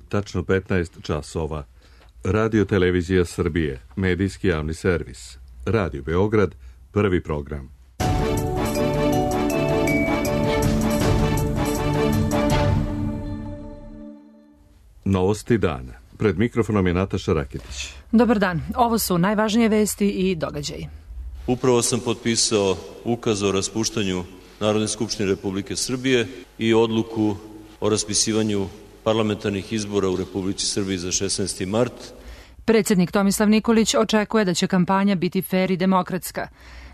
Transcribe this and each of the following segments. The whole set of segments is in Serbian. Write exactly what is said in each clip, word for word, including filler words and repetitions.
tačno petnaest časova. Radio Televizija Srbije, medijski javni servis. Radio Beograd, prvi program. Novosti dana. Pred mikrofonom je Nataša Raketić. Dobar dan. Ovo su najvažnije vesti i događaji. Upravo sam potpisao ukaz o raspuštanju Narodne skupštine Republike Srbije i odluku o raspisivanju parlamentarnih izbora u Republici Srbiji za šesnaesti mart. Predsjednik Tomislav Nikolić očekuje da će kampanja biti fer i demokratska.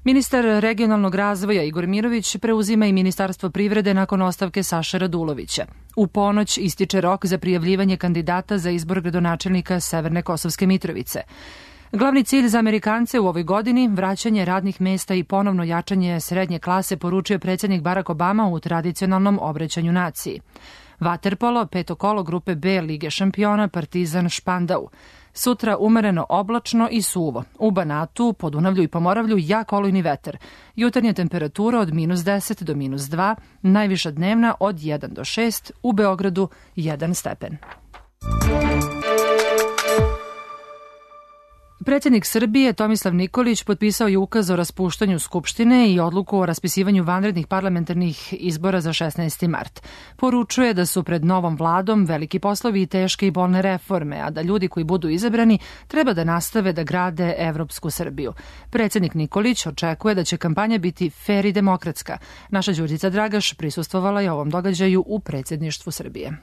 Ministar regionalnog razvoja Igor Mirović preuzima i Ministarstvo privrede nakon ostavke Saše Radulovića. U ponoć ističe rok za prijavljivanje kandidata za izbor gradonačelnika Severne Kosovske Mitrovice. Glavni cilj za Amerikance u ovoj godini, vraćanje radnih mesta i ponovno jačanje srednje klase, poručio predsjednik Barack Obama u tradicionalnom obraćanju naciji. Vaterpolo, peto kolo grupe B Lige šampiona, Partizan Špandau. Sutra umereno oblačno i suvo. U Banatu, Podunavlju i Pomoravlju jak olujni vetar. Jutarnja temperatura od minus deset do minus dva, najviša dnevna od jedan do šest, u Beogradu jedan stepen. Predsjednik Srbije Tomislav Nikolić potpisao je ukaz o raspuštanju Skupštine i odluku o raspisivanju vanrednih parlamentarnih izbora za šesnaesti mart. Poručuje da su pred novom vladom veliki poslovi i teške i bolne reforme, a da ljudi koji budu izabrani treba da nastave da grade evropsku Srbiju. Predsjednik Nikolić očekuje da će kampanja biti fer i demokratska. Naša Đurđica Dragaš prisustvovala je ovom događaju u predsjedništvu Srbije.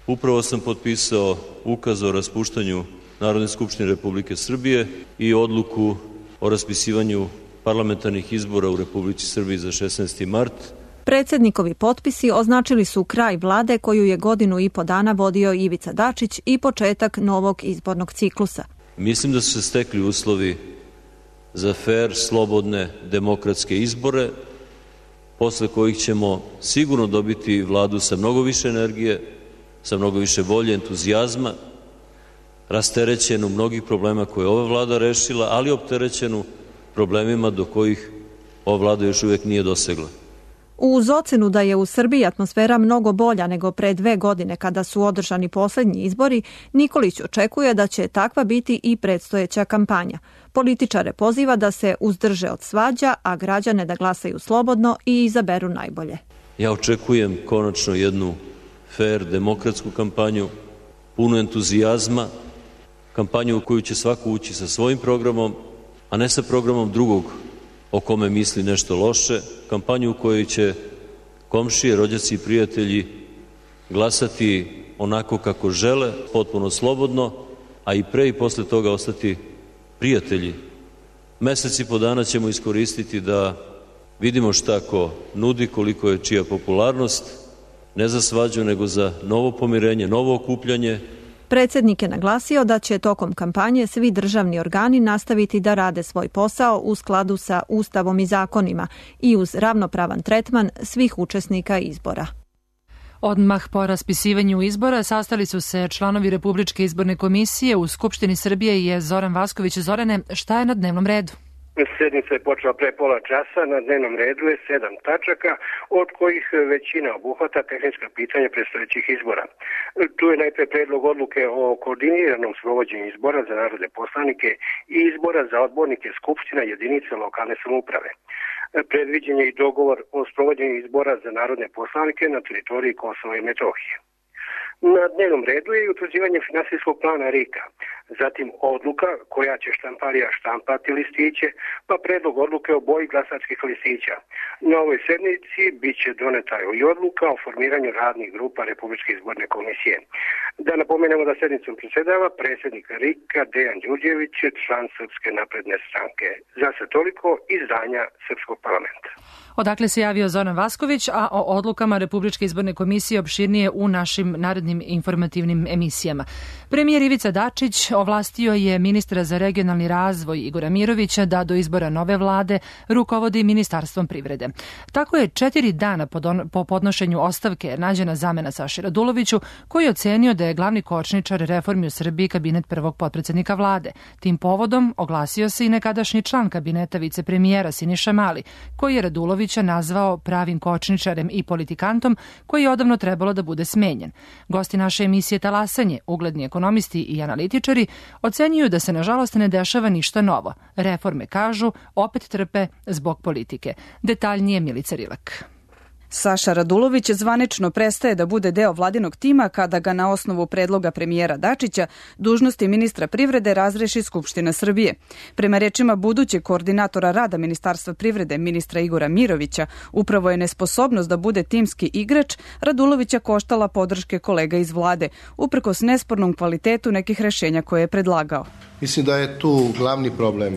Upravo sam potpisao ukaz o raspuštanju Narodne skupštine Republike Srbije i odluku o raspisivanju parlamentarnih izbora u Republici Srbiji za šesnaesti mart. Predsjednikovi potpisi označili su kraj vlade koju je godinu i po dana vodio Ivica Dačić i početak novog izbornog ciklusa. Mislim da su se stekli uslovi za fer, slobodne, demokratske izbore, posle kojih ćemo sigurno dobiti vladu sa mnogo više energije, sa mnogo više volje, entuzijazma, rasterećenu mnogih problema koje je ova vlada rešila, ali opterećenu problemima do kojih ova vlada još uvijek nije dosegla. Uz ocenu da je u Srbiji atmosfera mnogo bolja nego pre dve godine kada su održani posljednji izbori, Nikolić očekuje da će takva biti i predstojeća kampanja. Političare poziva da se uzdrže od svađa, a građane da glasaju slobodno i izaberu najbolje. Ja očekujem konačno jednu fer, demokratsku kampanju, punu entuzijazma, kampanju u koju će svako ući sa svojim programom, a ne sa programom drugog o kome misli nešto loše, kampanju u kojoj će komšije, rođaci i prijatelji glasati onako kako žele, potpuno slobodno, a i pre i posle toga ostati prijatelji. Mesec i po dana ćemo iskoristiti da vidimo šta ko nudi, koliko je čija popularnost, ne za svađu, nego za novo pomirenje, novo okupljanje. Predsjednik je naglasio da će tokom kampanje svi državni organi nastaviti da rade svoj posao u skladu sa Ustavom i zakonima i uz ravnopravan tretman svih učesnika izbora. Odmah po raspisivanju izbora sastali su se članovi Republičke izborne komisije. U Skupštini Srbije je Zoran Vasković. Zorane, šta je na dnevnom redu? Sjednica je počela pre pola časa, na dnevnom redu je sedam tačaka, od kojih većina obuhvata tehnička pitanja predstojećih izbora. Tu je najpre predlog odluke o koordiniranom sprovođenju izbora za narodne poslanike i izbora za odbornike skupština jedinica lokalne samouprave. Predviđen je i dogovor o sprovođenju izbora za narodne poslanike na teritoriji Kosova i Metohije. Na dnevnom redu je i utvrđivanje finansijskog plana R I K-a, zatim odluka koja će štamparija štampati listiće, pa predlog odluke o boji glasačkih listića. Na ovoj sednici bit će doneta i odluka o formiranju radnih grupa Republičke izborne komisije. Da napomenemo da sednicom predsjedava predsjednik R I K-a Dejan Đurđević, član Srpske napredne stranke. Za sve toliko izdanja Srpskog parlamenta. Odakle se javio Zoran Vasković, a o odlukama Republičke izborne komisije opširnije u našim narednim informativnim emisijama. Premijer Ivica Dačić ovlastio je ministra za regionalni razvoj Igora Mirovića da do izbora nove vlade rukovodi Ministarstvom privrede. Tako je četiri dana po podnošenju ostavke nađena zamena Saši Raduloviću, koji je ocenio da je glavni kočničar reformi u Srbiji kabinet prvog potpredsednika vlade. Tim povodom oglasio se i nekadašnji član kabineta vicepremijera Siniša Mali, koji je Radulovića nazvao pravim kočničarem i politikantom koji je odavno trebalo da bude smenjen. Gosti naše emisije Talasanje, ugledni ekonomisti i analitičari, ocenjuju da se nažalost ne dešava ništa novo. Reforme, kažu, opet trpe zbog politike. Detaljnije Milica Rilak. Saša Radulović zvanično prestaje da bude deo vladinog tima kada ga na osnovu predloga premijera Dačića dužnosti ministra privrede razreši Skupština Srbije. Prema rečima budućeg koordinatora rada Ministarstva privrede ministra Igora Mirovića, upravo je nesposobnost da bude timski igrač Radulovića koštala podrške kolega iz vlade, uprkos nespornom kvalitetu nekih rešenja koje je predlagao. Mislim da je tu glavni problem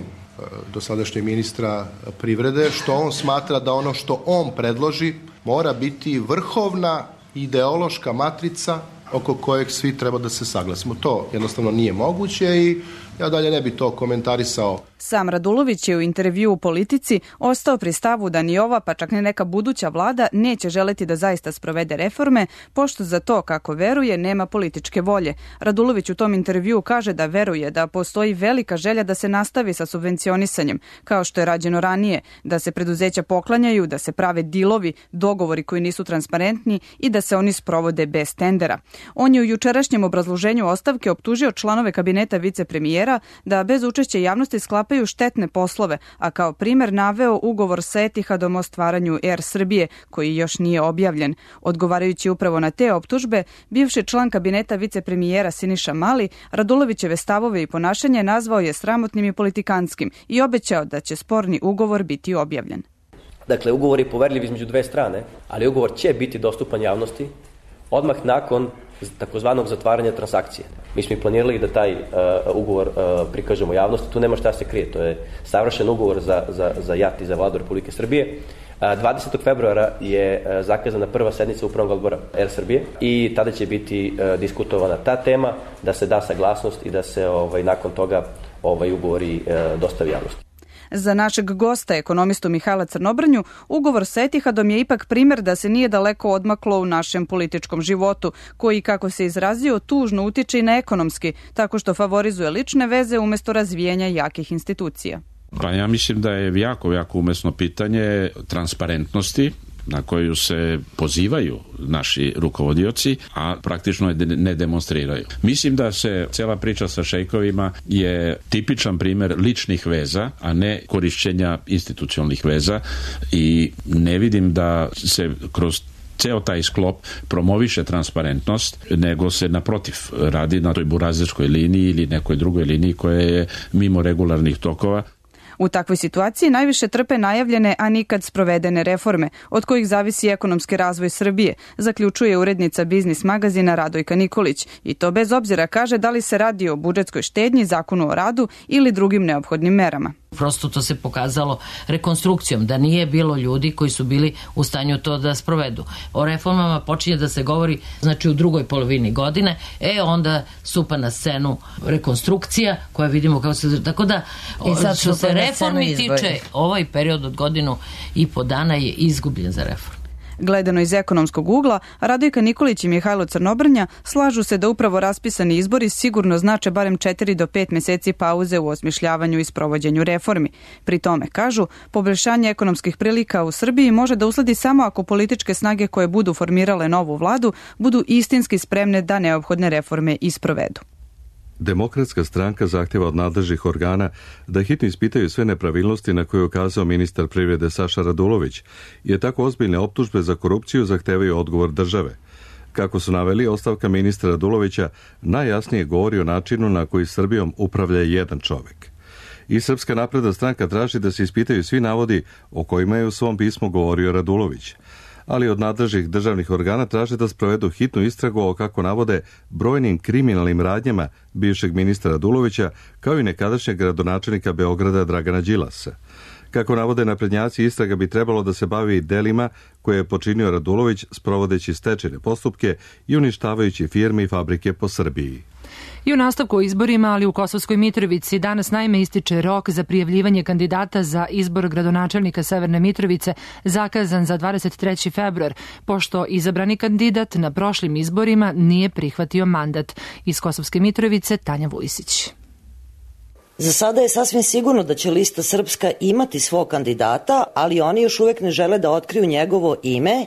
dosadašnjeg ministra privrede, što on smatra da ono što on predloži mora biti vrhovna ideološka matrica oko kojeg svi treba da se saglasimo. To jednostavno nije moguće i ja dalje ne bi to komentarisao. Sam Radulović je u intervju u Politici ostao pri stavu da ni ova, pa čak ne neka buduća vlada neće želeti da zaista sprovede reforme, pošto za to, kako veruje, nema političke volje. Radulović u tom intervju kaže da veruje da postoji velika želja da se nastavi sa subvencionisanjem, kao što je rađeno ranije, da se preduzeća poklanjaju, da se prave dilovi, dogovori koji nisu transparentni i da se oni sprovode bez tendera. On je u jučerašnjem obrazloženju ostavke optužio članove kabineta vicepremijera da bez učešća javnosti sklapaju štetne poslove, a kao primer naveo ugovor sa Etihadom o stvaranju Er Srbije, koji još nije objavljen. Odgovarajući upravo na te optužbe, bivši član kabineta vicepremijera Siniša Mali Radulovićeve stavove i ponašanje nazvao je sramotnim i politikanskim i obećao da će sporni ugovor biti objavljen. Dakle, ugovor je poverljiv između dve strane, ali ugovor će biti dostupan javnosti odmah nakon takozvanog zatvaranja transakcije. Mi smo i planirali da taj uh, ugovor uh, prikažemo javnosti, tu nema šta se krije, to je savršen ugovor za, za, za J A T i za vladu Republike Srbije. Uh, dvadesetog februara je uh, zakazana prva sednica upravnog odbora Er Srbije i tada će biti uh, diskutovana ta tema, da se da saglasnost i da se ovaj, nakon toga ovaj ugovori uh, dostavi javnosti. Za našeg gosta, ekonomistu Mihajla Crnobranju, ugovor sa Etihadom je ipak primer da se nije daleko odmaklo u našem političkom životu, koji, kako se izrazio, tužno utiče i na ekonomski, tako što favorizuje lične veze umjesto razvijanja jakih institucija. Pa ja mislim da je jako, jako umesno pitanje transparentnosti na koju se pozivaju naši rukovodioci, a praktično je ne demonstriraju. Mislim da se cela priča sa šejkovima je tipičan primer ličnih veza, a ne korišćenja institucionalnih veza i ne vidim da se kroz ceo taj sklop promoviše transparentnost, nego se naprotiv radi na toj burazerskoj liniji ili nekoj drugoj liniji koja je mimo regularnih tokova. U takvoj situaciji najviše trpe najavljene, a nikad sprovedene reforme, od kojih zavisi ekonomski razvoj Srbije, zaključuje urednica Biznis magazina Radojka Nikolić. I to bez obzira, kaže, da li se radi o budžetskoj štednji, zakonu o radu ili drugim neophodnim merama. Prosto to se pokazalo rekonstrukcijom, da nije bilo ljudi koji su bili u stanju to da sprovedu. O reformama počinje da se govori, znači, u drugoj polovini godine, e onda stupa na scenu rekonstrukcija, koja vidimo kako se... Tako da, što se reformi tiče, ovaj period od godinu i po dana je izgubljen za reformu. Gledano iz ekonomskog ugla, Radojka Nikolić i Mihajlo Crnobrnja slažu se da upravo raspisani izbori sigurno znače barem četiri do pet meseci pauze u osmišljavanju i sprovođenju reformi. Pri tome, kažu, poboljšanje ekonomskih prilika u Srbiji može da usledi samo ako političke snage koje budu formirale novu vladu budu istinski spremne da neophodne reforme i sprovedu. Demokratska stranka zahtjeva od nadležnih organa da hitno ispitaju sve nepravilnosti na koje je ukazao ministar privrede Saša Radulović, jer tako ozbiljne optužbe za korupciju zahtevaju odgovor države. Kako su naveli, ostavka ministra Radulovića najjasnije govori o načinu na koji Srbijom upravlja jedan čovjek. I Srpska napredna stranka traži da se ispitaju svi navodi o kojima je u svom pismu govorio Radulović, ali od nadležnih državnih organa traže da sprovedu hitnu istragu o, kako navode, brojnim kriminalnim radnjama bivšeg ministra Radulovića, kao i nekadašnjeg gradonačelnika Beograda Dragana Đilasa. Kako navode naprednjaci, istraga bi trebalo da se bavi delima koje je počinio Radulović sprovodeći stečajne postupke i uništavajući firme i fabrike po Srbiji. I u nastavku o izborima, ali u Kosovskoj Mitrovici, danas naime ističe rok za prijavljivanje kandidata za izbor gradonačelnika Severne Mitrovice, zakazan za dvadeset treći februar, pošto izabrani kandidat na prošlim izborima nije prihvatio mandat. Iz Kosovske Mitrovice, Tanja Vujsić. Za sada je sasvim sigurno da će lista Srpska imati svog kandidata, ali oni još uvek ne žele da otkriju njegovo ime,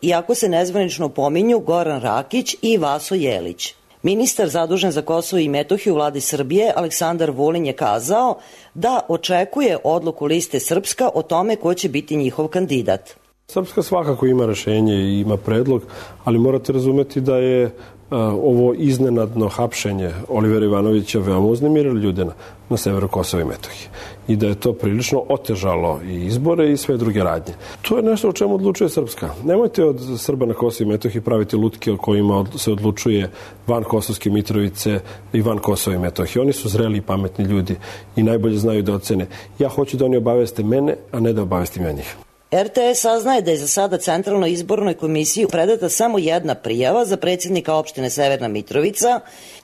iako se nezvanično pominju Goran Rakić i Vaso Jelić. Ministar zadužen za Kosovo i Metohiju u vladi Srbije, Aleksandar Vulin, je kazao da očekuje odluku liste Srpska o tome ko će biti njihov kandidat. Srpska svakako ima rešenje i ima predlog, ali morate razumeti da je a, ovo iznenadno hapšenje Olivera Ivanovića veoma uznemirilo ljude na, na severu Kosova i Metohije i da je to prilično otežalo i izbore i sve druge radnje. To je nešto o čemu odlučuje Srpska. Nemojte od Srba na Kosovo i Metohiji praviti lutke o kojima se odlučuje van Kosovske Mitrovice i van Kosova i Metohije. Oni su zreli i pametni ljudi i najbolje znaju da ocene. Ja hoću da oni obaveste mene, a ne da obavestim ja njih. er te es saznaje da je za sada Centralnoj izbornoj komisiji predata samo jedna prijava za predsjednika opštine Severna Mitrovica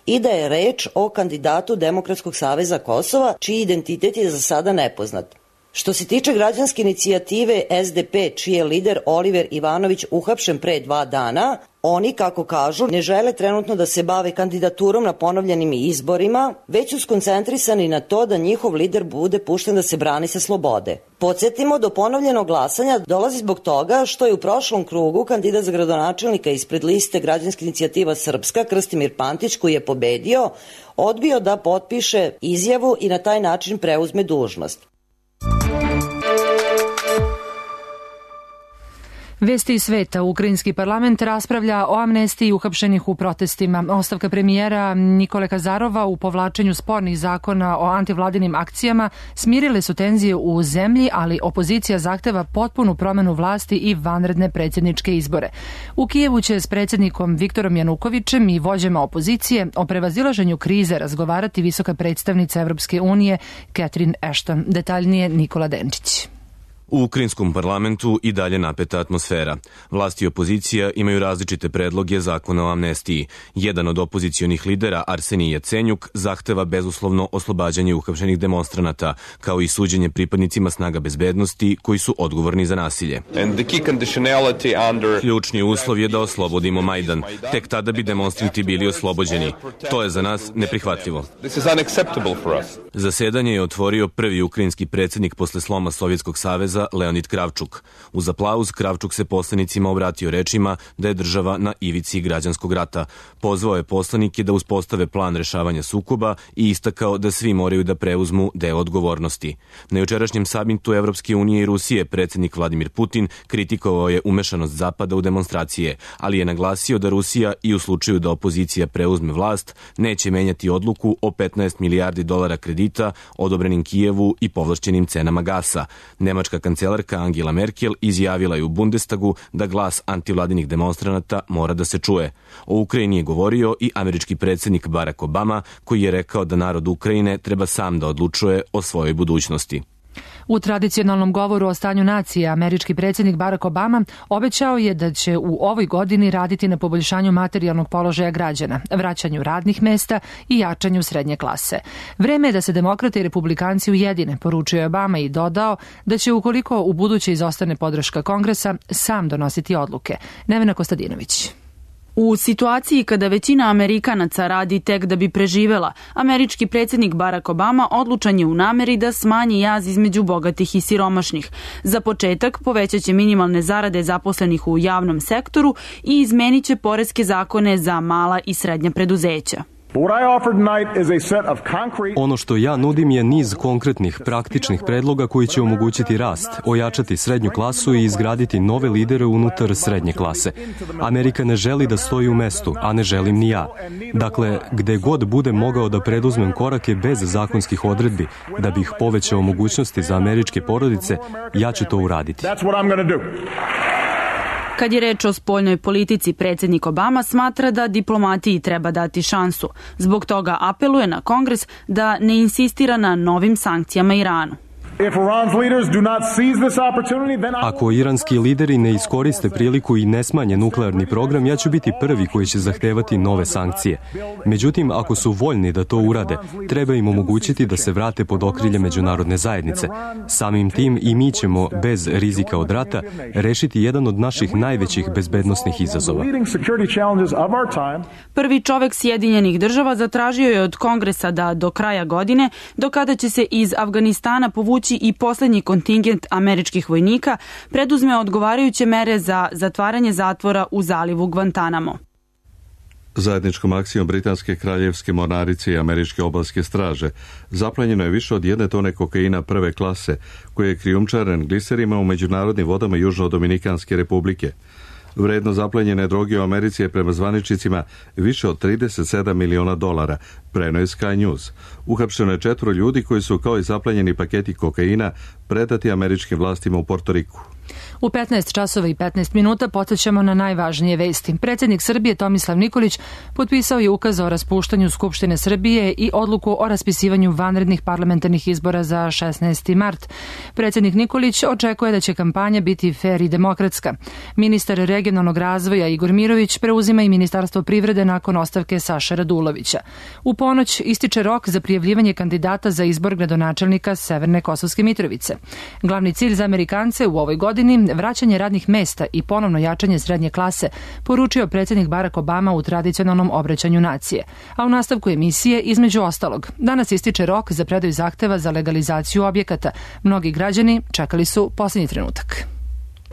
i da je reč o kandidatu Demokratskog saveza Kosova, čiji identitet je za sada nepoznat. Što se tiče građanske inicijative es de pe, čiji je lider Oliver Ivanović uhapšen pre dva dana, oni, kako kažu, ne žele trenutno da se bave kandidaturom na ponovljenim izborima, već su skoncentrisani na to da njihov lider bude pušten da se brani sa slobode. Podsjetimo, do ponovljenog glasanja dolazi zbog toga što je u prošlom krugu kandidat za gradonačelnika ispred liste Građanska inicijativa Srpska, Krstimir Pantić, koji je pobedio, odbio da potpiše izjavu i na taj način preuzme dužnost. Vesti iz sveta. Ukrajinski parlament raspravlja o amnestiji uhapšenih u protestima. Ostavka premijera Nikole Kazarova u povlačenju spornih zakona o antivladinim akcijama smirile su tenzije u zemlji, ali opozicija zahteva potpunu promenu vlasti i vanredne predsjedničke izbore. U Kijevu će s predsjednikom Viktorom Janukovićem i vođama opozicije o prevazilaženju krize razgovarati visoka predstavnica Evropske unije Catherine Ashton. Detaljnije Nikola Denčić. U ukrajinskom parlamentu i dalje napeta atmosfera. Vlast i opozicija imaju različite predloge zakona o amnestiji. Jedan od opozicionih lidera, Arsenij Jacenjuk, zahteva bezuslovno oslobađanje uhapšenih demonstranata, kao i suđenje pripadnicima snaga bezbednosti koji su odgovorni za nasilje. Ključni uslov je da oslobodimo Majdan. Tek tada bi demonstranti bili oslobođeni. To je za nas neprihvatljivo. Zasedanje je otvorio prvi ukrajinski predsjednik posle sloma Sovjetskog saveza, Leonid Kravčuk. Uz aplauz Kravčuk se poslanicima obratio rečima da je država na ivici građanskog rata. Pozvao je poslanike da uspostave plan rešavanja sukoba i istakao da svi moraju da preuzmu deo odgovornosti. Na jučerašnjem samitu Evropske unije i Rusije predsjednik Vladimir Putin kritikovao je umešanost Zapada u demonstracije, ali je naglasio da Rusija i u slučaju da opozicija preuzme vlast neće menjati odluku o petnaest milijardi dolara kredita odobrenim Kijevu i povlašćenim cenama gasa. Nemačka kancelarka Angela Merkel izjavila je u Bundestagu da glas antivladinih demonstranata mora da se čuje. O Ukrajini je govorio i američki predsjednik Barack Obama, koji je rekao da narod Ukrajine treba sam da odlučuje o svojoj budućnosti. U tradicionalnom govoru o stanju nacije američki predsjednik Barack Obama obećao je da će u ovoj godini raditi na poboljšanju materijalnog položaja građana, vraćanju radnih mesta i jačanju srednje klase. Vreme je da se demokrate i republikanci ujedine, poručio je Obama i dodao da će, ukoliko u buduće izostane podrška Kongresa, sam donositi odluke. Nevena Kostadinović. U situaciji kada većina Amerikanaca radi tek da bi preživela, američki predsjednik Barack Obama odlučan je u nameri da smanji jaz između bogatih i siromašnih. Za početak povećat će minimalne zarade zaposlenih u javnom sektoru i izmenit će poreske zakone za mala i srednja preduzeća. Ono što ja nudim je niz konkretnih, praktičnih predloga koji će omogućiti rast, ojačati srednju klasu i izgraditi nove lidere unutar srednje klase. Amerika ne želi da stoji u mestu, a ne želim ni ja. Dakle, gde god budem mogao da preduzmem korake bez zakonskih odredbi, da bih povećao mogućnosti za američke porodice, ja ću to uraditi. Kad je reč o spoljnoj politici, predsjednik Obama smatra da diplomatiji treba dati šansu. Zbog toga apeluje na Kongres da ne insistira na novim sankcijama Iranu. Ako iranski lideri ne iskoriste priliku i ne smanje nuklearni program, ja ću biti prvi koji će zahtevati nove sankcije. Međutim, ako su voljni da to urade, treba im omogućiti da se vrate pod okrilje međunarodne zajednice. Samim tim i mi ćemo, bez rizika od rata, rešiti jedan od naših najvećih bezbednosnih izazova. Prvi čovek Sjedinjenih država zatražio je od Kongresa da do kraja godine, do kada će se iz Afganistana povući i poslednji kontingent američkih vojnika, preduzme odgovarajuće mere za zatvaranje zatvora u zalivu Guantanamo. Zajedničkom akcijom Britanske kraljevske mornarice i Američke obalske straže zaplenjeno je više od jedne tone kokaina prve klase, koji je krijumčaren gliserima u međunarodnim vodama Južno-Dominikanske republike. Vredno zaplenjene droge u Americi je prema zvaničnicima više od trideset sedam miliona dolara, preneo je Sky News. Uhapšeno je četvoro ljudi koji su kao i zaplenjeni paketi kokaina predati američkim vlastima u Portoriku. U petnaest časova i petnaest minuta podsjećamo na najvažnije vesti. Predsjednik Srbije Tomislav Nikolić potpisao je ukaz o raspuštanju Skupštine Srbije i odluku o raspisivanju vanrednih parlamentarnih izbora za šesnaesti mart. Predsjednik Nikolić očekuje da će kampanja biti fer i demokratska. Ministar regionalnog razvoja Igor Mirović preuzima i Ministarstvo privrede nakon ostavke Saše Radulovića. U ponoć ističe rok za prijavljivanje kandidata za izbor gradonačelnika Severne Kosovske Mitrovice. Glavni cilj za Amerikance u ovoj godini vraćanje radnih mesta i ponovno jačanje srednje klase, poručio predsjednik Barack Obama u tradicionalnom obraćanju nacije. A u nastavku emisije, između ostalog, danas ističe rok za predaju zahteva za legalizaciju objekata. Mnogi građani čekali su posljednji trenutak.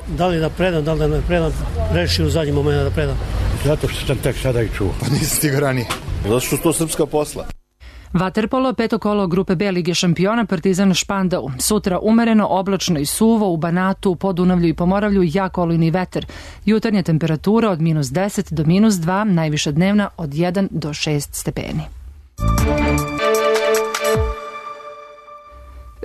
Da li da predam, da li da ne predam, reši u zadnji moment da predam. Zato što sam tek sada i čuo. Pa nisi stigao ranije. Zato što to srpska posla. Vaterpolo, peto kolo grupe B Lige šampiona Partizan Špandau. Sutra umereno, oblačno i suvo, u Banatu, Podunavlju i Pomoravlju jak olujni vetar. Jutarnja temperatura od minus deset do minus dva, najviša dnevna od jedan do šest stepeni.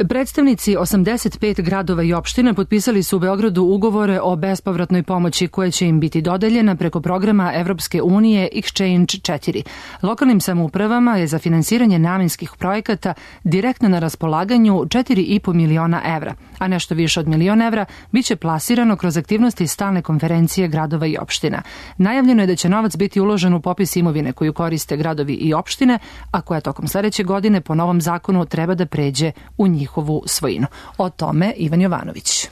Predstavnici osamdeset pet gradova i opština potpisali su u Beogradu ugovore o bespovratnoj pomoći koja će im biti dodeljena preko programa Evropske unije Exchange četiri. Lokalnim samoupravama je za finansiranje namenskih projekata direktno na raspolaganju četiri i po miliona evra, a nešto više od milion evra biće plasirano kroz aktivnosti stalne konferencije gradova i opština. Najavljeno je da će novac biti uložen u popis imovine koju koriste gradovi i opštine, a koja tokom sledeće godine po novom zakonu treba da pređe u njih njihovu svojinu. O tome Ivan Jovanović.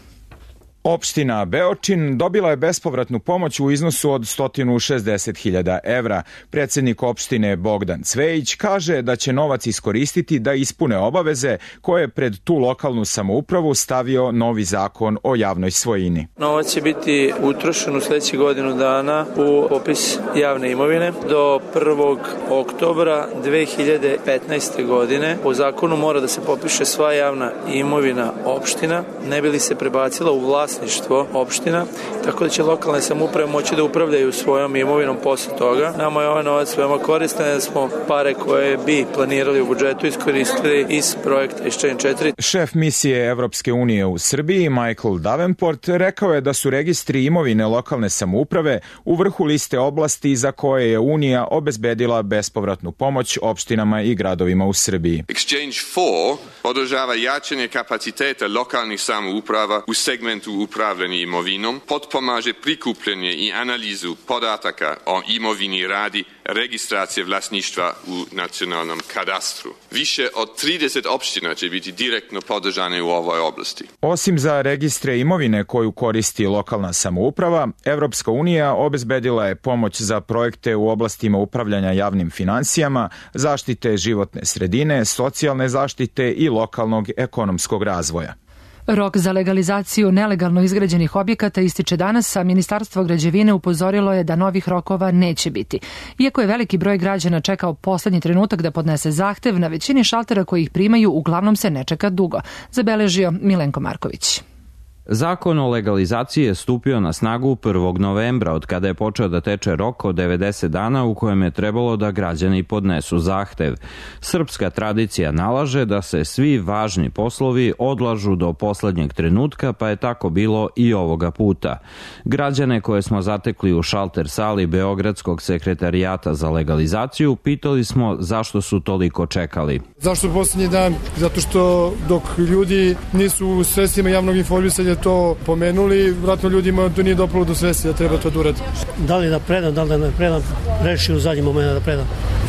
Opština Beočin dobila je bespovratnu pomoć u iznosu od sto šezdeset hiljada evra. Predsjednik opštine Bogdan Cvejić kaže da će novac iskoristiti da ispune obaveze koje je pred tu lokalnu samoupravu stavio novi zakon o javnoj svojini. Novac će biti utrošen u sljedećih godinu dana u popis javne imovine do prvog oktobra dve hiljade petnaeste. godine. Po zakonu mora da se popiše sva javna imovina opština, ne bi li se prebacila u vlast vlasništvo opština, tako da će lokalne samouprave moći da upravljaju svojom imovinom posle toga. Nama je ovaj novac veoma koristan, da smo pare koje bi planirali u budžetu iskoristili iz projekta Exchange četiri. Šef misije Evropske unije u Srbiji, Michael Davenport, rekao je da su registri imovine lokalne samouprave u vrhu liste oblasti za koje je Unija obezbedila bespovratnu pomoć opštinama i gradovima u Srbiji. Exchange četiri podržava jačanje kapaciteta lokalnih samouprava u segmentu upravljanja imovinom, potpomaže prikupljanje i analizu podataka o imovini radi registracije vlasništva u nacionalnom kadastru. Više od trideset opština će biti direktno podržane u ovoj oblasti. Osim za registre imovine koju koristi lokalna samouprava, Evropska unija obezbedila je pomoć za projekte u oblastima upravljanja javnim finansijama, zaštite životne sredine, socijalne zaštite i lokalnog ekonomskog razvoja. Rok za legalizaciju nelegalno izgrađenih objekata ističe danas, a Ministarstvo građevine upozorilo je da novih rokova neće biti. Iako je veliki broj građana čekao poslednji trenutak da podnese zahtev, na većini šaltera koji ih primaju uglavnom se ne čeka dugo, zabeležio Milenko Marković. Zakon o legalizaciji je stupio na snagu prvog novembra, od kada je počeo da teče rok od devedeset dana u kojem je trebalo da građani podnesu zahtev. Srpska tradicija nalaže da se svi važni poslovi odlažu do poslednjeg trenutka, pa je tako bilo i ovoga puta. Građane koje smo zatekli u šalter sali Beogradskog sekretarijata za legalizaciju pitali smo zašto su toliko čekali. Zašto poslednji dan? Zato što dok ljudi nisu u sredstvima javnog informisanja to pomenuli, vratno ljudima to nije dopalo do svesti da treba to da uradi. Da li da predam, da li da ne predam, reši u zadnji moment da predam.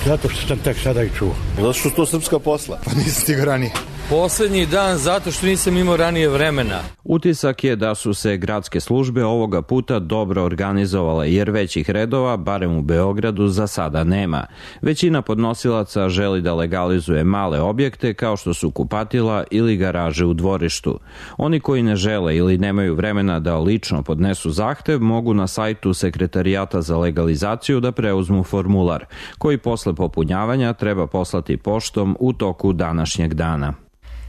Zato što sam tek sada i čuo. Zato što to srpska posla, pa nisam stigao ranije. Poslednji dan zato što nisam imao ranije vremena. Utisak je da su se gradske službe ovoga puta dobro organizovale, jer većih redova, barem u Beogradu, za sada nema. Većina podnosilaca želi da legalizuje male objekte kao što su kupatila ili garaže u dvorištu. Oni koji ne žele ili nemaju vremena da lično podnesu zahtev mogu na sajtu Sekretarijata za legalizaciju da preuzmu formular, koji posle popunjavanja treba poslati poštom u toku današnjeg dana.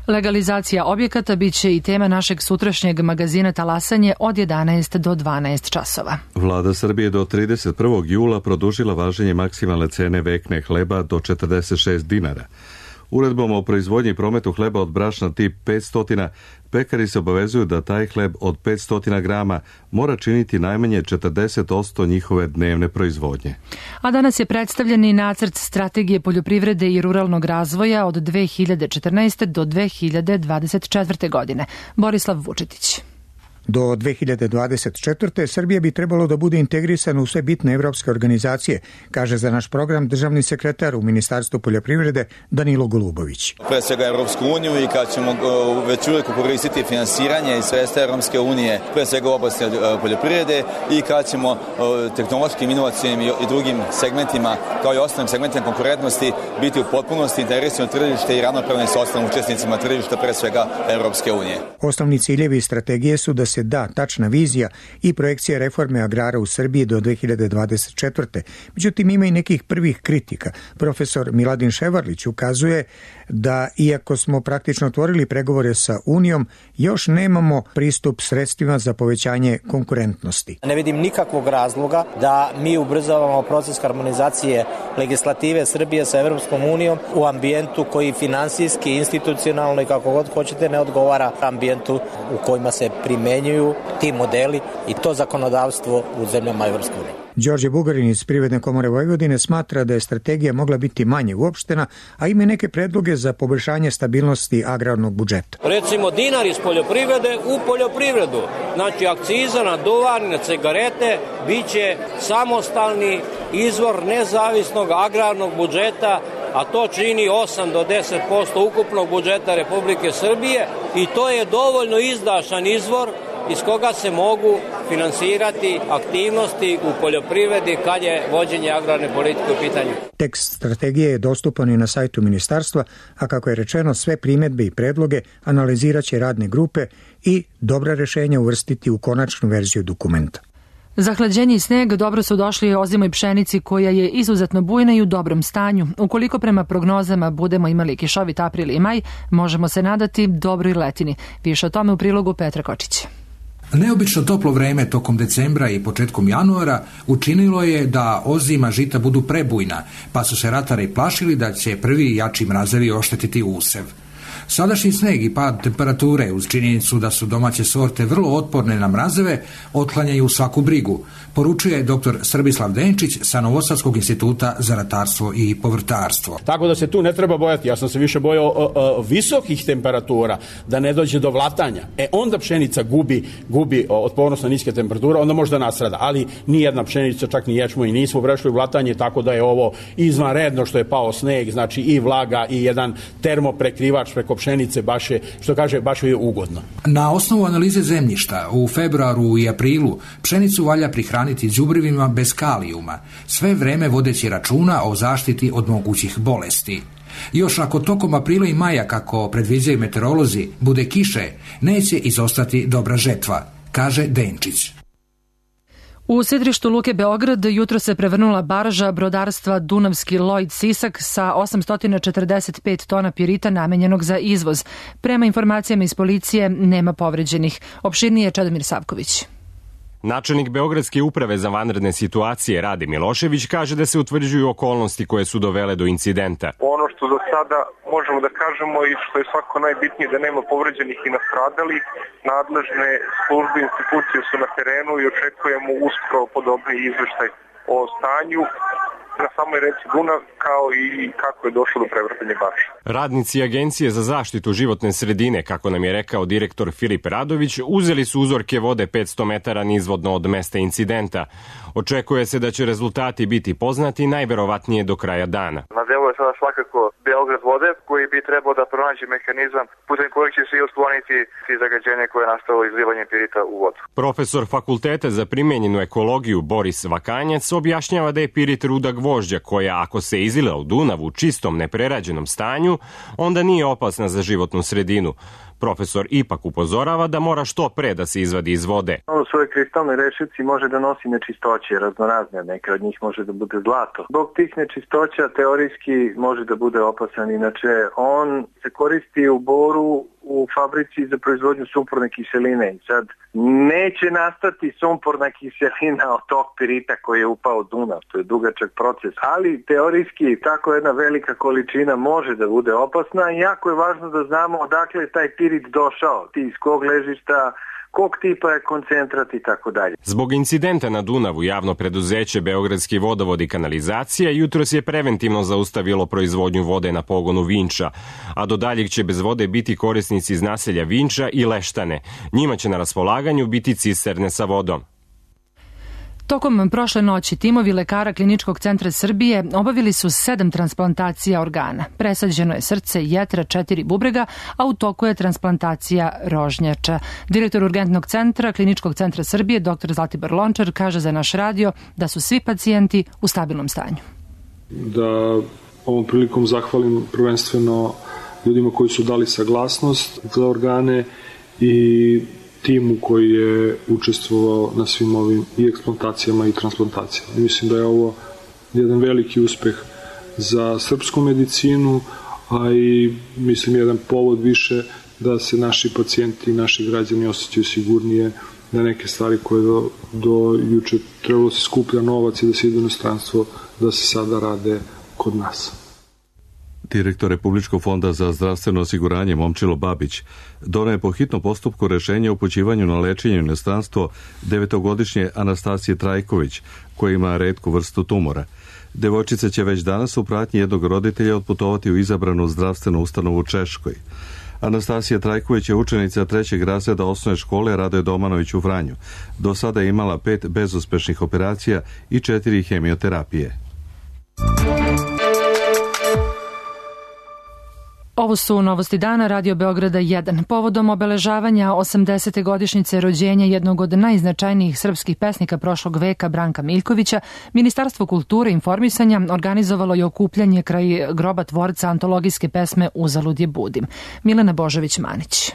Legalizacija objekata biće i tema našeg sutrašnjeg magazina Talasanje od jedanaest do dvanaest časova. Vlada Srbije do trideset prvog jula produžila važenje maksimalne cene vekne hleba do četrdeset šest dinara. Uredbom o proizvodnji i prometu hleba od brašna tip petsto, pekari se obavezuju da taj hleb od petsto grama mora činiti najmanje četrdeset posto njihove dnevne proizvodnje. A danas je predstavljen i nacrt strategije poljoprivrede i ruralnog razvoja od dve hiljade četrnaeste. do dve hiljade dvadeset četvrte. godine. Borislav Vučetić. Do dve hiljade dvadeset četvrte. Srbija bi trebalo da bude integrisana u sve bitne evropske organizacije, kaže za naš program državni sekretar u Ministarstvu poljoprivrede Danilo Golubović. Pre svega Evropsku uniju i kad ćemo već uvijek koristiti finansiranje i sredstva Evropske unije, pre svega u oblasti poljoprivrede i kad ćemo tehnološkim, inovacijnim i drugim segmentima, kao i ostalim segmentima konkurentnosti, biti u potpunosti integrisano tržište i ravnopravni sa ostalim učesnicima tržišta, pre svega Evropske unije. Osnovni ciljevi i strategije su da se da tačna vizija i projekcija reforme agrara u Srbiji do dve hiljade dvadeset četvrte. Međutim, ima i nekih prvih kritika. Profesor Miladin Ševarlić ukazuje da, iako smo praktično otvorili pregovore sa Unijom, još nemamo pristup sredstvima za povećanje konkurentnosti. Ne vidim nikakvog razloga da mi ubrzavamo proces harmonizacije legislative Srbije sa Evropskom unijom u ambijentu koji finansijski, institucionalno i kako god hoćete ne odgovara ambijentu u kojima se primenjuju ti modeli i to zakonodavstvo u zemljama Evropske unije. Đorđe Bugarin iz Privredne komore Vojvodine smatra da je strategija mogla biti manje uopštena, a ima neke predloge za poboljšanje stabilnosti agrarnog budžeta. Recimo dinar iz poljoprivrede u poljoprivredu. Znači akciza na duvan, na cigarete biće samostalni izvor nezavisnog agrarnog budžeta, a to čini osam do deset posto ukupnog budžeta Republike Srbije i to je dovoljno izdašan izvor iz koga se mogu finansirati aktivnosti u poljoprivredi kad je vođenje agrarne politike u pitanju. Tekst strategije je dostupan i na sajtu ministarstva, a kako je rečeno, sve primedbe i predloge analizirat će radne grupe i dobra rešenja uvrstiti u konačnu verziju dokumenta. Zahlađenje i sneg dobro su došli ozimoj pšenici koja je izuzetno bujna i u dobrom stanju. Ukoliko prema prognozama budemo imali kišovit april i maj, možemo se nadati dobroj letini. Više o tome u prilogu Petra Kočića. Neobično toplo vreme tokom decembra i početkom januara učinilo je da ozima žita budu prebujna, pa su se ratari plašili da će prvi jači mrazevi oštetiti usev. Sadašnji sneg i pad temperature uz činjenicu da su domaće sorte vrlo otporne na mrazeve otklanjaju svaku brigu, poručuje dr. Srbislav Denčić sa Novosadskog instituta za ratarstvo i povrtarstvo. Tako da se tu ne treba bojati. Ja sam se više bojao o, o, visokih temperatura, da ne dođe do vlatanja. E onda pšenica gubi, gubi otpornost na niske temperature, onda možda nasrada. Ali nijedna pšenica, čak ni ječmo i nismo prešli u vlatanje, tako da je ovo izvanredno što je pao sneg, znači i vlaga i jedan termoprekrivač preko pšenice, baš je, što kaže, baš je ugodno. Na osnovu analize zemljišta u februaru i aprilu pšenicu valja prihraniti đubrivima bez kalijuma, sve vreme vodeći računa o zaštiti od mogućih bolesti. Još ako tokom aprila i maja, kako predviđaju meteorolozi, bude kiše, neće izostati dobra žetva, kaže Denčić. U sidrištu Luke Beograd jutro se prevrnula barža brodarstva Dunavski Lloyd Sisak sa osamsto četrdeset pet tona pirita namenjenog za izvoz. Prema informacijama iz policije nema povređenih. Opširnije Čedomir Savković. Načelnik Beogradske uprave za vanredne situacije Rade Milošević kaže da se utvrđuju okolnosti koje su dovele do incidenta. Ono što za sada možemo da kažemo i što je svako najbitnije da nema povređenih i nastradalih, nadležne službe i institucije su na terenu i očekujemo uskoro podobni izveštaj o stanju na samoj reci Dunav, kao i kako je došlo do prevrtanja barže. Radnici Agencije za zaštitu životne sredine, kako nam je rekao direktor Filip Radović, uzeli su uzorke vode petsto metara nizvodno od mesta incidenta. Očekuje se da će rezultati biti poznati najverovatnije do kraja dana. Na delu je sada svakako Beograd vode, koji bi trebao da pronađe mehanizam putem kojeg će se i otkloniti ti zagađenje koje je nastalo izlivanjem pirita u vodu. Profesor Fakulteta za primenjenu ekologiju Boris Vakanjac objašnjava da je pirit ruda gvožđa koja, ako se izlila u Dunav u čistom neprerađenom stanju, onda nije opasna za životnu sredinu. Profesor ipak upozorava da mora što pre da se izvadi iz vode. On u svojoj kristalnoj rešici može da nosi nečistoće raznorazne, neke od njih može da bude zlato. Zbog tih nečistoća teorijski može da bude opasan, inače on se koristi u Boru u fabrici za proizvodnju sumporne kiseline i sad neće nastati sumporna kiselina od tog pirita koji je upao u Dunav, to je dugačak proces, ali teorijski tako jedna velika količina može da bude opasna i jako je važno da znamo odakle je taj pirit došao, iz kog ležišta, kog tipa je koncentrat i tako dalje. Zbog incidenta na Dunavu javno preduzeće Beogradski vodovod i kanalizacija jutros je preventivno zaustavilo proizvodnju vode na pogonu Vinča, a do daljeg će bez vode biti korisnici iz naselja Vinča i Leštane. Njima će na raspolaganju biti cisterne sa vodom. Tokom prošle noći timovi lekara Kliničkog centra Srbije obavili su sedam transplantacija organa. Presađeno je srce, jetra, četiri bubrega, a u toku je transplantacija rožnjača. Direktor urgentnog centra Kliničkog centra Srbije, dr Zlatibor Lončar, kaže za naš radio da su svi pacijenti u stabilnom stanju. Da ovom prilikom zahvalim prvenstveno ljudima koji su dali saglasnost za organe i timu koji je učestvovao na svim ovim i eksplantacijama i transplantacijama. Mislim da je ovo jedan veliki uspeh za srpsku medicinu, a i mislim jedan povod više da se naši pacijenti i naši građani osjećaju sigurnije, da neke stvari koje do, do juče trebalo se skuplja novac i da se ide u inostranstvo, da se sada rade kod nas. Direktor Republičkog fonda za zdravstveno osiguranje Momčilo Babić doneo je po hitnom postupku rešenje o upućivanju na lečenje u inostranstvo devetogodišnje Anastasije Trajković, koja ima retku vrstu tumora. Devojčica će već danas u pratnji jednog roditelja otputovati u izabranu zdravstvenu ustanovu u Češkoj. Anastasija Trajković je učenica trećeg razreda osnovne škole Radoje Domanović u Vranju. Do sada je imala pet bezuspešnih operacija i četiri hemioterapije. Ovo su novosti dana Radio Beograda jedan. Povodom obeležavanja osamdesete godišnjice rođenja jednog od najznačajnijih srpskih pesnika prošlog veka Branka Miljkovića, Ministarstvo kulture i informisanja organizovalo je okupljanje kraj groba tvorca antologijske pesme Uzalud je budim. Milena Božović-Manić.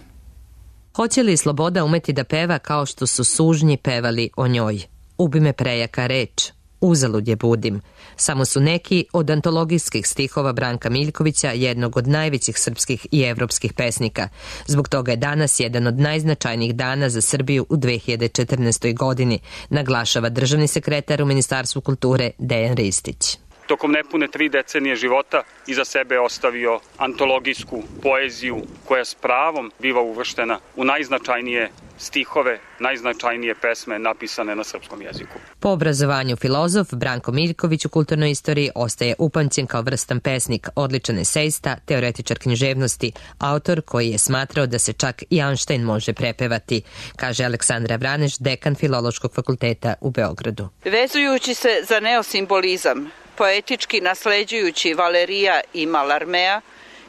Hoće li sloboda umeti da peva kao što su sužnji pevali o njoj? Ubi me prejaka reč. Uzalud je budim. Samo su neki od antologijskih stihova Branka Miljkovića, jednog od najvećih srpskih i evropskih pesnika. Zbog toga je danas jedan od najznačajnijih dana za Srbiju u dve hiljade četrnaestoj. godini, naglašava državni sekretar u Ministarstvu kulture Dejan Ristić. Tokom nepune tri decenije života iza sebe ostavio antologijsku poeziju koja s pravom biva uvrštena u najznačajnije stihove, najznačajnije pesme napisane na srpskom jeziku. Po obrazovanju filozof, Branko Miljković u kulturnoj istoriji ostaje upamćen kao vrstan pesnik, odličan esejista, teoretičar književnosti, autor koji je smatrao da se čak i Einstein može prepevati, kaže Aleksandra Vraneš, dekan Filološkog fakulteta u Beogradu. Vezujući se za neosimbolizam, poetički nasleđujući Valerija i Malarmea,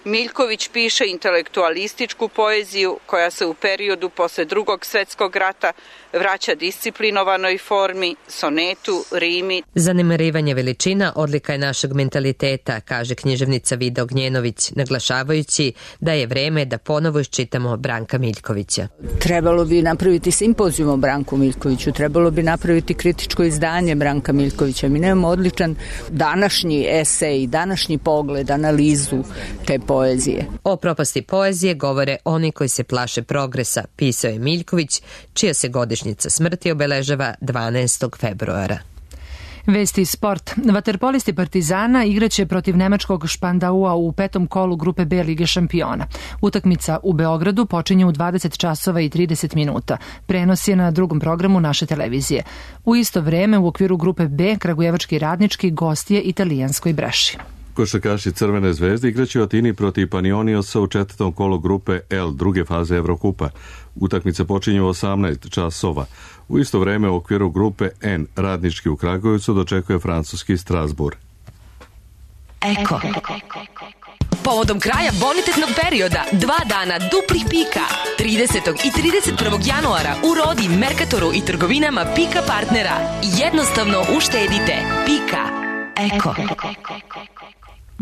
Miljković piše intelektualističku poeziju koja se u periodu posle Drugog svetskog rata vraća disciplinovanoj formi, sonetu, rimi. Zanemarivanje veličina odlika je našeg mentaliteta, kaže književnica Vida Ognjenović, naglašavajući da je vreme da ponovo iščitamo Branka Miljkovića. Trebalo bi napraviti simpozijum o Branku Miljkoviću, trebalo bi napraviti kritičko izdanje Branka Miljkovića. Mi nemamo odličan današnji esej, današnji pogled, analizu te poezije. O propasti poezije govore oni koji se plaše progresa, pisao je Miljković, čija se godišnjica smrti obeležava dvanaestog februara. Vesti sport. Vaterpolisti Partizana igraće protiv nemačkog Špandaua u petom kolu grupe B Lige šampiona. Utakmica u Beogradu počinje u dvadeset časova i trideset minuta. Prenos je na drugom programu naše televizije. U isto vreme u okviru grupe B Kragujevački Radnički gost je italijanskoj Breši. Košarkaši Crvene zvezde igraće u Atini protiv Panioniosa u četvrtom kolu grupe L druge faze Evrokupa. Utakmica počinje u osamnaest časova. U isto vreme u okviru grupe N Radnički u Kragujevcu dočekuje francuski Strasbourg. Eko. Povodom kraja bonitetnog perioda, dva dana duplih pika, tridesetog i trideset prvog januara u Rodi, Merkatoru i trgovinama Pika partnera. Jednostavno uštedite. Pika. Eko.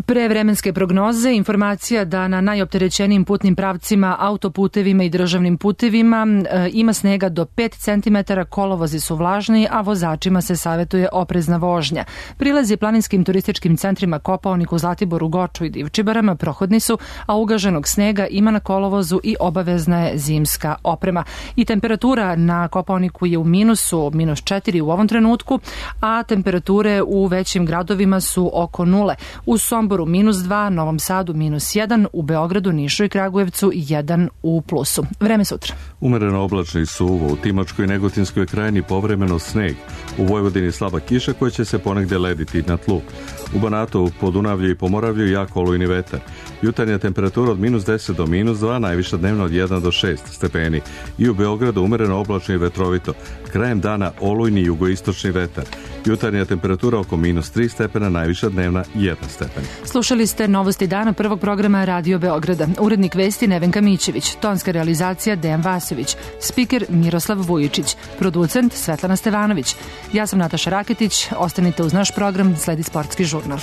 Pre vremenske prognoze informacija da na najopterećenijim putnim pravcima, autoputevima i državnim putevima e, ima snega do pet centimetara, kolovozi su vlažni, a vozačima se savjetuje oprezna vožnja. Prilazi planinskim turističkim centrima Kopaoniku, Zlatiboru, Goču i Divčibarama prohodni su, a ugaženog snega ima na kolovozu i obavezna je zimska oprema. I temperatura na Kopaoniku je u minusu, minus četiri u ovom trenutku, a temperature u većim gradovima su oko nule. U Somboru minus dva, Novom Sadu minus jedan, u Beogradu, Nišu i Kragujevcu jedan u plusu. Vreme sutra. Umereno oblačno i suvo, u Timočkoj i Negotinskoj krajini povremeno sneg, u Vojvodini slaba kiša koja će se ponegde lediti na tlu. U Banatu, Podunavlju i Pomoravlju jako olujni vetar. Jutarnja temperatura od minus deset do minus dva, najviša dnevno od jedan do šest stepeni. I u Beogradu umereno oblačno i vetrovito. Krajem dana olujni jugoistočni vetar. Jutarnja temperatura oko minus tri stepena, najviša dnevna jedan stepen. Slušali ste novosti dana prvog programa Radio Beograda. Urednik vesti Nevenka Mićević, tonska realizacija Dejan Vasović, spiker Miroslav Vujičić, producent Svetlana Stevanović. Ja sam Nataša Raketić, ostanite uz naš program, sledi sportski žurnal.